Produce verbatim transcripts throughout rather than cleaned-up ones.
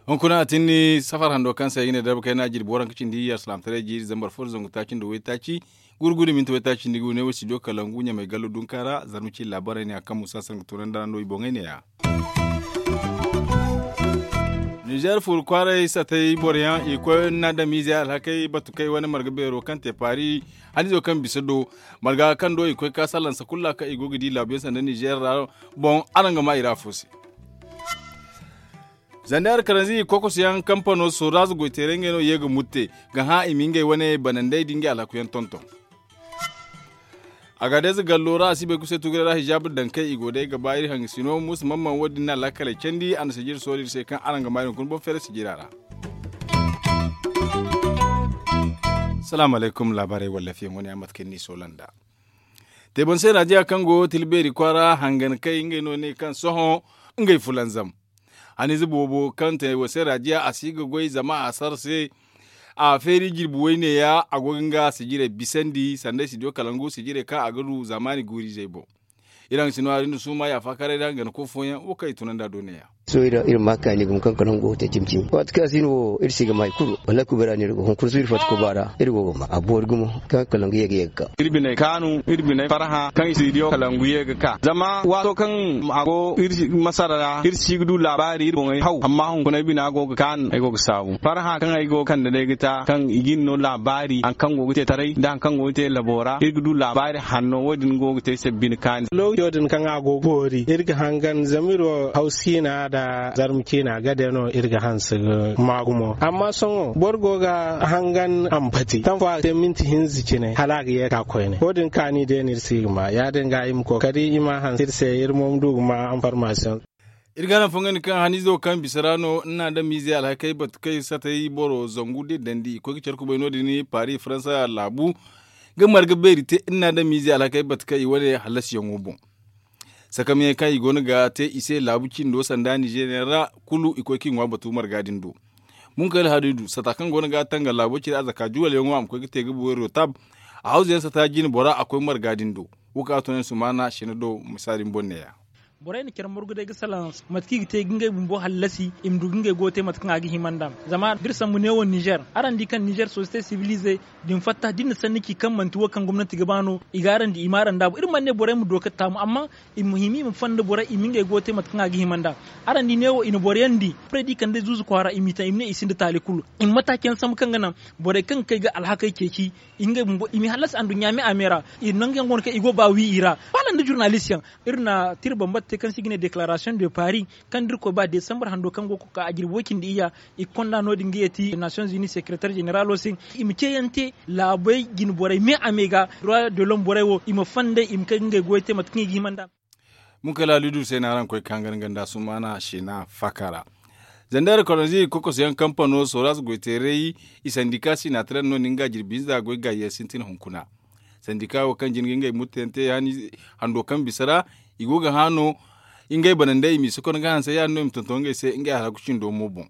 Hunkuna a tinni safar hando kaŋ se ay ga ne darba kayna jirbi waranka cindi yar salaamataray jiiri zambar fo da zangu taaci nda waytaaci gurguri minti waytaaci nda gu ne wo studio kalangu ɲamay gallo dunka ra zarma ci laabaray ne a kaŋ musa sangu tunandi ra no i boŋey ne ya. Nizer furu kwaaray satay boro yaŋ i koy na damiizey alhakey batu kay wane marga beero kaŋ te paari hanizo kaŋ bisa do marga kaŋ do i koy ka sallansa kulu ra kaŋ i go ga di laabu yaŋ sanda nizer ra boŋ araŋ ga ma i ra afo se. Zandar karanzi kokos yaŋ kampano soraaz goyteeray ngey no ye ga mutte ga hã i ma ngey wane banandey da ngey alhaku yaŋ tonton. Agaadez gallo ra a si bay kuse tuguray ra hijaabu daŋ kay i go day ga ba iri hangasino muusa mamman wo- din na laakaley candi a na sijiri soori iri se kaŋ araŋ ga ma iri hunkuna boŋ feere sijira ra. Salaamu alaykum laabaarey wallafiyaŋ wane yaŋ mate kaŋ ni soola nd'a. Teebonse raadiya kaŋ go tilbeeri kwaara hangan kay ngey no ne kaŋ sohõ ngey fulanzam. Hanize boobo kaŋ te wo se raadiya a si ga goy zama a sar se. A feeri jirbi woyne ya a go ga nga sijirey bisandi sanda studio kalangu sijirey kaŋ a ga du zamaani guurizey boŋ. Iri haŋ si no hari nda suuma yaafa karay da gana ko fooyaŋ wo kaŋ i tunandi a do ne ya. Sohõ iri ma kaani gumo kaŋ kalangu go ga te cimi cimi waati kaŋ a si no wo iri si ga ma hari kulu wallaahi kubay ra no iri go hunkuna sohõ iri fatta kuba ra iri go ga ma a boori gumo kaŋ kalangu ye ga ye ga ka. Iri biney kaanu iri biney farhã kaŋ i si diyo kalangu ye ga ka zama waato kaŋ a go iri masara ra iri si ga du laabaari iri boŋey haw amma hunkuna ay bina go ga kaanu ay go ga saabu farhã kaŋ ay go ga kande day ga ta kaŋ i ga iri no laabaari hari kaŋ go ga te taray nda hari kaŋ go ga te labo ra iri ga du laabaari hanno wo- din go ga te ay se bine kaani. Lookaco din kaŋ a go ga boori iri ga hangan zama iri wo hawsiina nda zarma ciina gade no iri ga hanse ga ma gumo amma sohõ boro go ga hangan a ma pati kaŋ fo a ga te minti hinza cine hala a ga ye ga ka koyne wo- din kaani day no iri si ga ma ya- din ga i ma kookari i ma hanse iri se iri mo ma du ga ma anformasiyoŋ. Iri ga naŋ fongandi kaŋ haniizo kaŋ bisa ra no ni na adamiizey alhakey batu kaŋ i satay boro zangu da i dandi i koy ga care kubay no- din paari faransa laabu ga marga beeri te ni na adamiizey alhakey batu kaŋ i wane hallasiyaŋo boŋ. Sakamyaŋ kaŋ i go no ga te i se laabu cindo sanda nizeeriya ra kulu i koy kaŋ i ŋwa batu marga din do. Munkayla hadidu sata kaŋ go no ga tanga laabo cire a zaka juwalyaŋo a ma koy ga te ga buway rotab. A hawzayaŋ sata jine bora a koy marga din do. Wo kaŋ a to ne sumaana sina do misa din boŋ ne ya. Borey na care margu day ga salaŋ mate kaŋ i ga te ga ngey bumbo hallasi i ma du ga ngey go ga te mate kaŋ a ga hima nd'a. Zama da iri sambu neewo nizer araŋ di kaŋ nizer sosiyete sibili ize din fatta da iri na sanni ci kaŋ manti wo kaŋ gomnanti ga ba no i ga araŋ di i ma araŋ daabu iri mana ne borey ma do ga taamu amma i ma hima i ma fonda borey i ma ngey go ga te mate kaŋ a ga hima nd'a. Araŋ di neewo i na boro yaŋ di borey da i kande zuuzu kwaara i m'i taŋ i ma ne i sinda taali kulu. I ma mataaci yaŋ sambu kaŋ ga naŋ borey kaŋ ga kay ga alhakey ceeci i ngey bumbo i m'i hallasi anduɲɲa me a me ra. Nangu yaŋ go no kaŋ i go ga ba wi i ra. Faala nda jurnalist yaŋ iri na tira bambata te kaŋ se i ga ne deklaarasiyoŋ de paris kaŋ da iri koy ba desambar hando kaŋ go ga koy ga ka a jirbi way cindi iyya. I ga konda no- din ga yeeti nasiyoŋ zuni sekeretar zeneralo se i ma ceeyaŋ te laabey jine borey me a me ga droit de lom borey wo i ma fonday i ma kay ga ngey goyey te mate kaŋ i ga hima nd'a. Munkala lidu se no araŋ koy ga ka hangan ganda sumaana sina faka ra. Zandar kolondi kokoso yaŋ kampano soras goyteeray i sandika sinaataray no na nga jirbi hinza goy gaayi yaŋ sintin hunkuna. Sandika wo kaŋ jin ga ngey murtayaŋ te hando kaŋ bisa ra i go ga hã no. Ngey banandey i m'i sokono ga hanse ya- din no i ma tonton ngey se ngey alhaku cindo mo boŋ.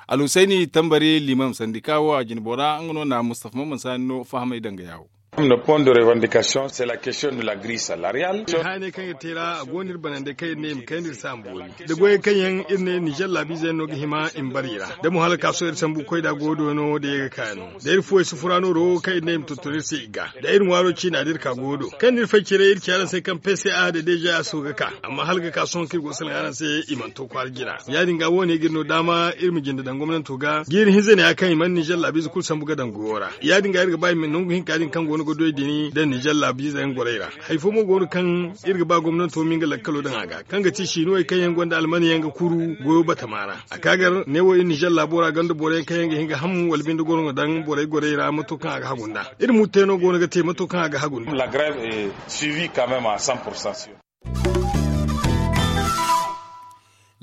Alhusayni tambari limam sandika wo a jine bora nga no na mustafa maman saani no fahamay danga yaawo. Iri ma ne point de revandikasiyoŋ se la kestiyoŋ de la gri salariyal. Hayaney kaŋ iri te ra a go no iri banandey kaŋ iri ne i ma kayna iri se a ma boori da goyey kaŋ yaŋ iri ne ninzeer laabiize yaŋ no ga hima i ma bare i ra da mo hala kaaso iri sambu koy da go do no da ye ga ka no. Da iri fuwey sufura nooro kaŋ iri ne i ma tonton iri se i ga da iri ŋwaaro ciina da iri ka go do kaŋ da iri fay cire iri ci araŋ se kaŋ pca da dejaaso ga ka. Amma hala ga ka sohõ kaŋ iri go ga salaŋ araŋ se i mana to kwaara jina. Ya- din ga wo- ne ga iri no daama iri ma jinde daŋ gomnanto ga jiiri hinza ne ya kaŋ i mana ninzeer laabiize kulu sambu ga daŋ goyo ra. Ya- din ga iri ga ba i ma nangu hinka din kaŋ go no ga doy din daŋ ninzeer laabiize yaŋ gorey ra. Hari fo mo go no kaŋ iri ga ba gomnanto ma nga lakkalo daŋ a ga kaŋ ga ti sinuwey kaŋ yaŋ gonda almaniyaŋ ga kuru goyo batama ra. A ka gar neewo iri ninzeer laabo ra gonda boro yaŋ kaŋ yaŋ ga hin ga ham wala binde goro ga daŋ borey gorey ra mato kaŋ a ga hagu nd'a. Iri murtayno go no ga te mato kaŋ a ga hagu nd'a.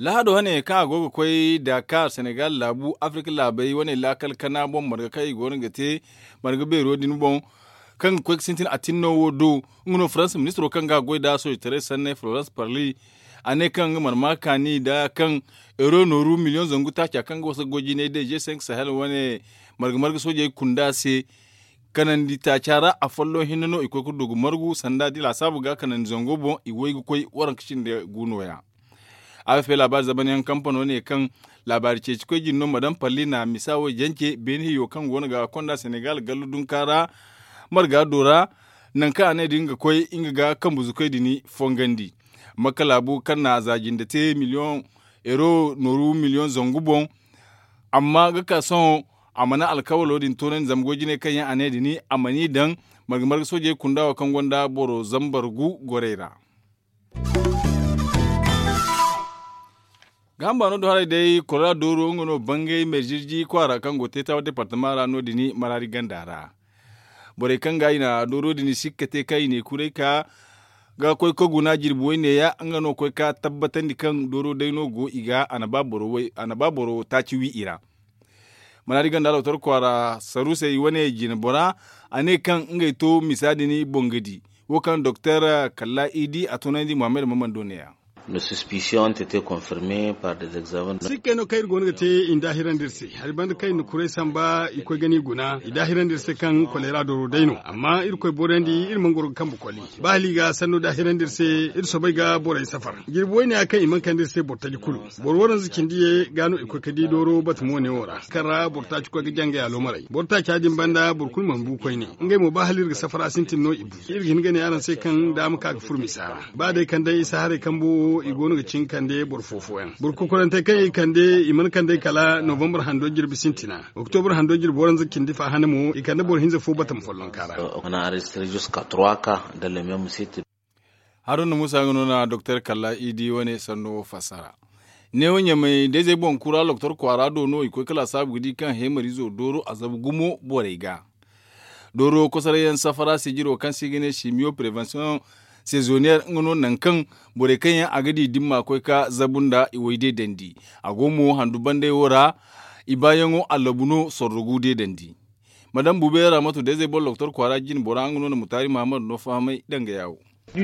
Lahado hane kaŋ a go ga koy dakar senegal laabu afirka laabey wane laakal kana boŋ marga kaŋ i go no ga te marga beero din boŋ. Kaŋ ga koy ga sintin atinno wo do nga no faransa ministiro kaŋ ga a goy nd'a soojitaray sanney florence parly. A ne kaŋ nga mana ma kaani nda kaŋ euro nooru miliyoŋ zangu taaca kaŋ ga wasa ga goy jinay day g cinq sahel wane marga marga soojey kunda se. Kanandi taaca ra afolloŋ hinne no i koy ga du ga margu sanda da i laasaabu ga kanandi zango boŋ i way ga koy waranka cindi gu nooya. A ga fay laabaari zabanyaŋ kampano ne kaŋ laabaari ceeci koy jine no ma daŋ palli na misa wo jance beene hiyo kaŋ go no ga konda senegal gallu dunka ra marga do ra. Nangu kaŋ a ne da nga ga koy nga ga kambu zukey din fongandi. Makka laabu kaŋ na za jinde te miliyoŋ euro nooru miliyoŋ zangu boŋ. Amma ga ka sohõ a mana alkawalo din toonandi zama goy jinay kaŋ yaŋ a ne din a mana i daŋ marga marga soojey kunda wo kaŋ gonda boro zambar gu gorey ra. Ga hamba no do haray day kora dooro nga no bangay merzirji kwaara kaŋ go teetawa departama ra no- din maraari ganda ra. Borey kaŋ ga i na dooro din sikka te kaŋ i ne kuray ka ga koy ka guna jirbi wayne ya nga no koy ka tabbatandi kaŋ dooro day no go i ga a na ba boro taaci wi i ra. Maraari ganda doktor kwaara sarusey wane jine bora a ne kaŋ ngey to misa din boŋ ga di wo kaŋ doktor kalla idi a tunandi muhammad maman do ne ya. Nos suspicion te te confirme par des examens. Sikkey no kaŋ iri go no ga te i na daahirandi iri se hari banda kaŋ i na kuray samba i koy ga ni guna i daahirandi iri se kaŋ kolera dooro day no amma irkoy borandi iri mana goro ga kambe koli. Ba hala i ga sanno daahirandi iri se iri soobay ga borey safar jirbi wayne ya kaŋ i mana kande iri se boro taji kulu. Boro waranza cindi ye ga no i koy ga di dooro batamo ne wo ra kaŋ ra boro taaci koy ga jangay aloomaray boro taaca din banda boro kulu mana bu koyne. Ngey mo ba hala iri ga safara sintin no i bu iri ga hin ga ne araŋ se kaŋ daama ka ga furo misa ra. Ba day kande isa haray kambo wo i go no ga cin kande boro fo fooyaŋ boro kokorantey kaŋ i kande i mana kandey kala novambar hando jirbi sintina. Oktobar hando jirbi waranza cindi fa hane mo i kande boro hinza fo batama follonka ra. Haruna musa nga no na doktor kalla idi wane sanno fassara. Neewo ɲamay da-izey boŋ kura doktor kwaara do no i koy ga laasaabu ga di kaŋ heemariizo dooro a zabu gumo borey ga. Dooro kosorayyaŋ safara sijiro kaŋ se i ga ne simiyo prevention sezoniyer nga no nangu kaŋ borey kaŋ yaŋ a ga di dimma koy ga zabu nda i way deedandi. A go mo handu bandey wo ra i baayaŋo allabu no sorro gu deedandi. Madame buubeera matu da-izey boŋ doktor kwaara jine bora nga no na mutaari mahamadu no fahamay danga yaawo. Za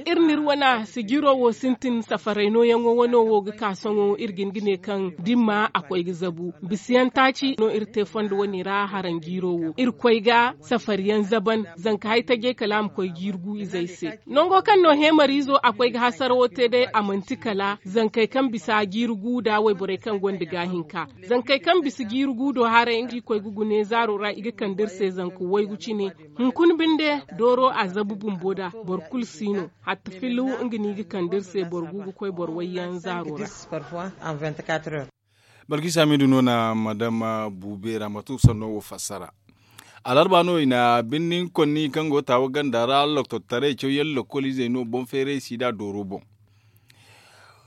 iri na iri wane sijiro wo sintin safaray nooyaŋo wano wo ga ka sohõ iri ga hin ga ne kaŋ dimma a koy ga zabu bisiyaŋ taaci no iri te fondo wane ra haranjiiro wo iri koy ga safariyaŋ zaban zanka hay tajey kala a ma koy jiiri gu izey se. Nango kaŋ no heemariizo a koy ga hasarawo te day a manti kala zankey kaŋ bisa jiiri gu nda wayborey kaŋ gonda gaahinka. Zankey kaŋ bisa jiiri gu do haray nga i koy ga gune zaaro ra i ga kande iri se zanka waygu cine. Hunkuna binde dooro a zabu bumbo da boro kulu si no hatta filu nga no i ga kande iri se boro gu ga koy boro wayyaŋ zaaro ra. Balkisa midu no na madama buubeera matu sanno wo fassara. Alarba no i na birnin konni kaŋ go taawa ganda ra loktottaray cawyaŋ lokoliizey no boŋ feeray sida dooro boŋ.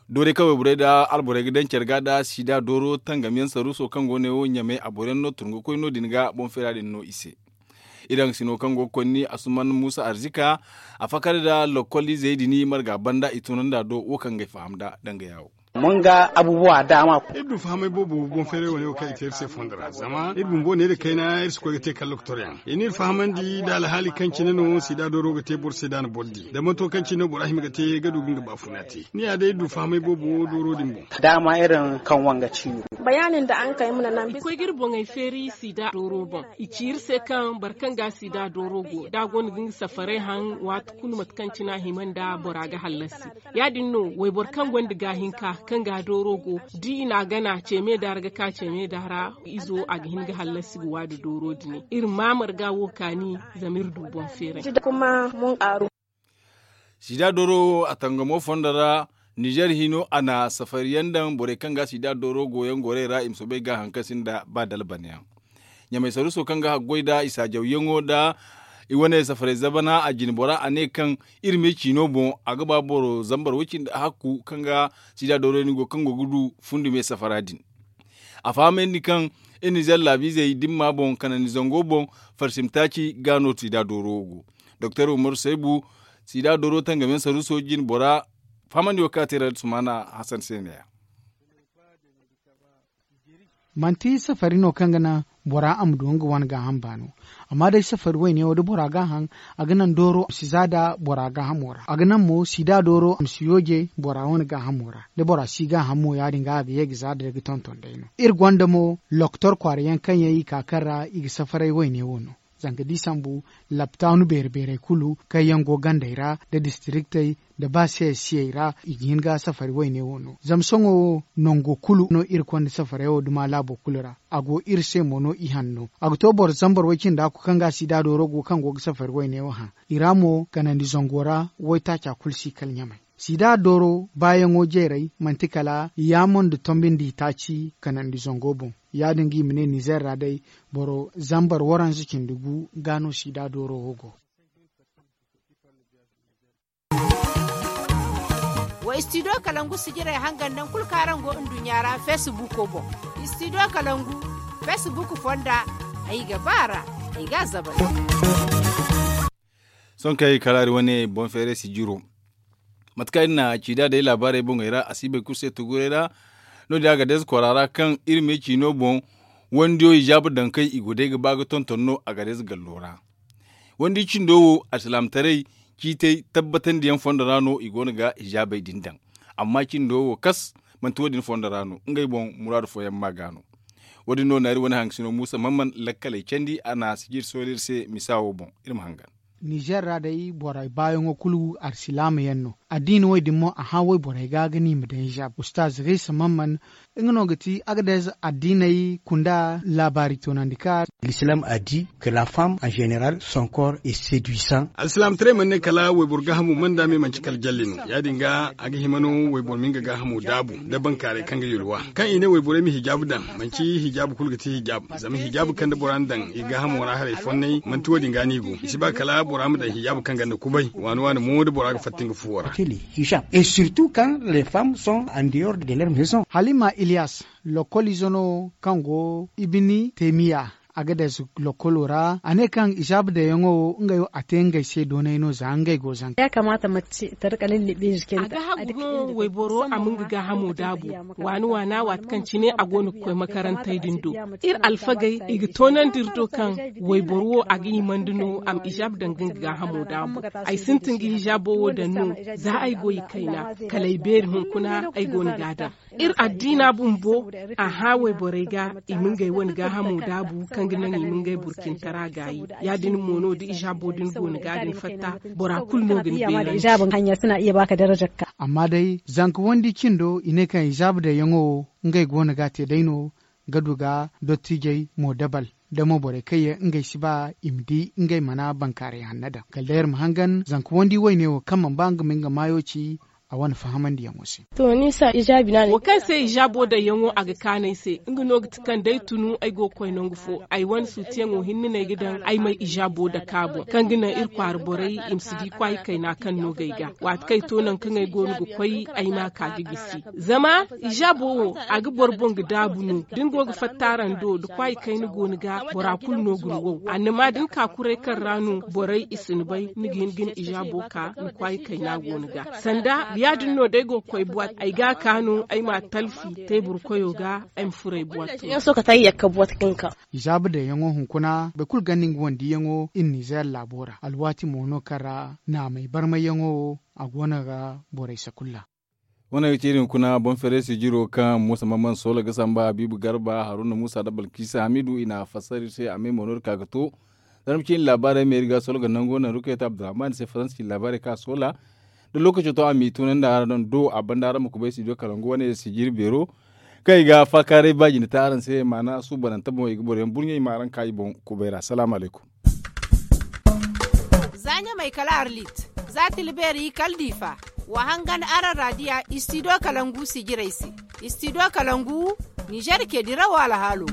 Doorey kaŋ wayborey nda alborey ga daŋ care ga nda sida dooro tangamyaŋ saruuso kaŋ go ne wo ɲamay a boroyaŋ no tun ga koy no- din ga boŋ feera din no i se. Iri haŋgasino kaŋ go ga konni asuman muusa arzika a fakar nda lokoliizey din marga banda i tunandi a do wo kaŋ ga ay faham nda danga yaawo. Mun ga abubuwa daama. Iri du fahamay boobo boŋ feeray wane wo kaŋ i te iri se fondo ra zama iri bumbo ne nda kayna iri si koy ga te kala lokotoryaŋ i n'iri fahamandi nda alhaali kaŋ cine no sida dooro ga te boro se da a na boro di da manto kaŋ cine no bora hima ga te ga du ga nga baafuna te. Ni ya day iri du fahamay boobo dooro din boŋ. Daama iri kaŋ wanga ciiri. Bayaanin da araŋ kay mana naŋ bisa. I koy ga iri boŋey feeri sida dooro boŋ. I ci iri se kaŋ boro kaŋ ga sida dooro go da a gonda ga nga safaray haŋ waati kulu mate kaŋ cine a hima nda bora ga hallasi. Ya- din no wayboro kaŋ gonda gaahinka kaŋ ga dooro go da i n'a gana ceeme da ra ga ka ceeme da ra izo a ga hin ga hallasi ga waada dooro dine iri ma marga wo kaani. Zama iri du boŋ feeray. Sida dooro wo a tangamo fondo ra nizer hino a na safariyaŋ daŋ borey kaŋ ga sida dooro goyaŋ gorey ra i ma soobay ga haŋ kaŋ sinda ba dalbanyaŋ. Ɲamay saruuso kaŋ ga haggoy nda i saajawyaŋo nda i wane safaray zabana a jine bora a ne kaŋ iri me ciino boŋ a ga ba boro zambar way cindi hakku kaŋ ga sida dooro ni go kaŋ go ga du fundi me safara din. A fahamandi kaŋ iri nizer laabiizey dimma boŋ kanandi zango boŋ farsimtaaci ga no sida dooro go. Doktor umaru saybu sida dooro tangamyaŋ saruuso jine bora fahamandi wo kaŋ a te ra sumaana hasan se ne ya. Manti safari no kaŋ ga naŋ bora a ma du nga wane gaaham baano. Amma day safari wayne wo da bora ga a haŋ, a ga naŋ dooro a ma si za da bora gaahamo ra. A ga naŋ mo sida dooro a ma si yooje bora wane gaahamo ra. Da bora si gaaham mo ya- din ga a ga ye ga za da day ga tonton day no. Iri gonda mo lokotor kwaara yaŋ kaŋ yaŋ i ka kaŋ ra i ga safaray wayne wo no. Zanga da i sambu laptaanu beere beerey kulu kaŋ yaŋ go gandey ra nda distiriktey nda ba siyey siyey ra i ga hin ga safari wayne wo no. Zama sohõ wo nango kulu no iri konda safarey wo duma laabo kulu ra. A go iri se mo no i hanno a ga to boro zambar way cindi a ku kaŋ ga sida dooro go kaŋ go ga safari wayne wo haŋ. I ra mo kanandi zango ra waytaaca kulu si kala ɲamay. Sida dooro baayaŋo jeeray manti kala yaamo nda tombi nda i taaci kanandi zango boŋ. Ya- din ga i ma ne nizer ra day boro zambar waranza cindi gu ga no sida dooro wo go. Wa istidiyo kalangu sijirey hangan naŋ kulu kaŋ araŋ go nduɲɲa ra feesibuuko boŋ. Istidiyo kalangu feesibuuku fonda. Ay ga ba a ra ay ga a zabari. Sohõ kaŋ ay kalaari wane boŋ feeray sijiro. Mate kaŋ iri na ciida day laabaarey boŋey ra a si bay kulu se tuguray ra. No- din a ga deeza kora ra kaŋ iri me ciino boŋ wandiyo hijaabu daŋ kaŋ i go day ga ba ga tonton no a ga deeza gallo ra. Wandi cindo wo alsilaamataray ciitay tabbatandiyaŋ fondo ra no i go no ga hijaabey din daŋ. Amma cindo wo kas manti wo- din fondo ra no ngey boŋ muraadu fooyaŋ ma ga no. Wo- din no naari wane hangasino muusa mamman lakkaley candi a na sijir soolay iri se misa wo boŋ. Iri ma hangan. Nizer ra day borey baayaŋo kulu alsilaama yaŋ no. Addiina wo- din mo a hã wayborey ga ga no i ma daŋ hijaab ustaaz riisa mamman. Nga no ga ti agadez addiiney kunda laabaari toonandi ka. L'islam a dit que la femme en général son corps est séduisant. Alsilaamataray mana ne kala wayboro gaahamo mana daame manci kala jalle no. Ya- din ga a ga hima no wayboro ma nga gaahamo daabu nda bankaaray kaŋ ga yulwa kaŋ i ne wayborey ma hijaabu daŋ. Manci hijaabu kulu ga ti hijaabu zama hijaabu kaŋ da bora na daŋ i gaahamo ra haray fonnay manti wo- din ga no i go i si ba kala bora ma daŋ hijaabu kaŋ ganda kubay waani waani mo da bora ga fatta nga fuwo ra. Hijab et surtout quand les femmes sont en dehors de leur maison. Halima iliyas lokol izo no kaŋ go ibini temiya. A ga day si lokolo ra a ne kaŋ izaaba dayaŋo wo ngey wo a te ngey se doonay no za ngey go zanka. A ga hagu hõ wayboro a ma nga gaahamo daabu waani waana waati kaŋ cine a go no ga koy makarantey din do. Iri alfagey i ga toonandi iri do kaŋ wayboro wo a ga himandi no a ma izaaba daŋ ga nga gaahamo daabu. Ay sintin ga hizaabo wo daŋ no za ay goy kayna kala ay beeri hunkuna ay go no ga a daŋ. Iri addiina bumbo a hã wayborey ga i ma ngey wane gaahamo daabu kaŋ ga naŋ i ma ngey burcintara gaayi. Ya-din mo no da izaabo din go ni ga din fatta bora kulu no ga ni beerandi. Amma day zanka wandi cindo i ne kaŋ izaaba dayaŋo wo ngey go no ga a te day no ga du ga dottijey mo dabal da mo borey kaŋ yaŋ ngey si ba i ma di ngey mana bankaaray hanna daŋ kala day iri ma hangan zanka wandi wayne wo kaŋ mana ba nga ma nga maayo ci a wane fahamandiyaŋo se. Wo kaŋ se izaabo daŋyaŋo a ga kaanu ay se nga no ga ti kaŋ da ay tunu ay go ga koy nangu fo ay wane suutiyaŋo hinne no ay ga daŋ ay ma ay izaabo dake a boŋ kaŋ ga naŋ iri kwaara borey i ma si di kwaayi kayna kaŋ no ga ay ga waati kaŋ ay to nangu kaŋ ay go no ga koy ay ma a ka ga gisi. Zama izaabo wo a ga boro boŋ ga daabu no da ni go ga fatta araŋ do da kwaayi kayna go ni ga bora kulu no ga ni wow annama da ni ka kuray kaŋ ra no borey i si ni bay ni ga hin ga ni izaabo ka ni kwaayi kayna go ni ga. Sanda ya- din no day go ga koy buwat ay ga a ka no ay ma a talfi teebur koyo ga ay ma furo ay buwat. Izaaba daŋyaŋo hunkuna boro kulu ganda nga wandiyaŋo iri nizeer laabo ra alwaati mo no kaŋ ra naamey barmayyaŋo wo a go no ga borey sakulla. Wane ga ci iri hunkuna boŋ feeray sijiro kaŋ muusa mamman soola ga samba habiibu garba haruna muusa nda balkiisa hamiidu i na a fassara iri se a me mo no iri ka ga to. Zarma ciine laabaarey me iri ga soola ga nango naŋ rukayta abdurrahman se faransa ciine laabaarey kaŋ a soola da lookaco to a m'i tunandi araŋ do a banda araŋ ma kubay sijo kalangu wane sijiri beero kaŋ i ga faakaaray ba jine te araŋ se maana suubanante boŋ i ga boroyaŋ burɲey ma araŋ ka i boŋ kubay ra salaamu alaykum. Za ɲamay kala arlit za tilbeeri kala diifa wa hangan araŋ raadiya istidiyo kalangu sijirey se. Istidiyo kalangu ninzeer ceedirawo alhaalo.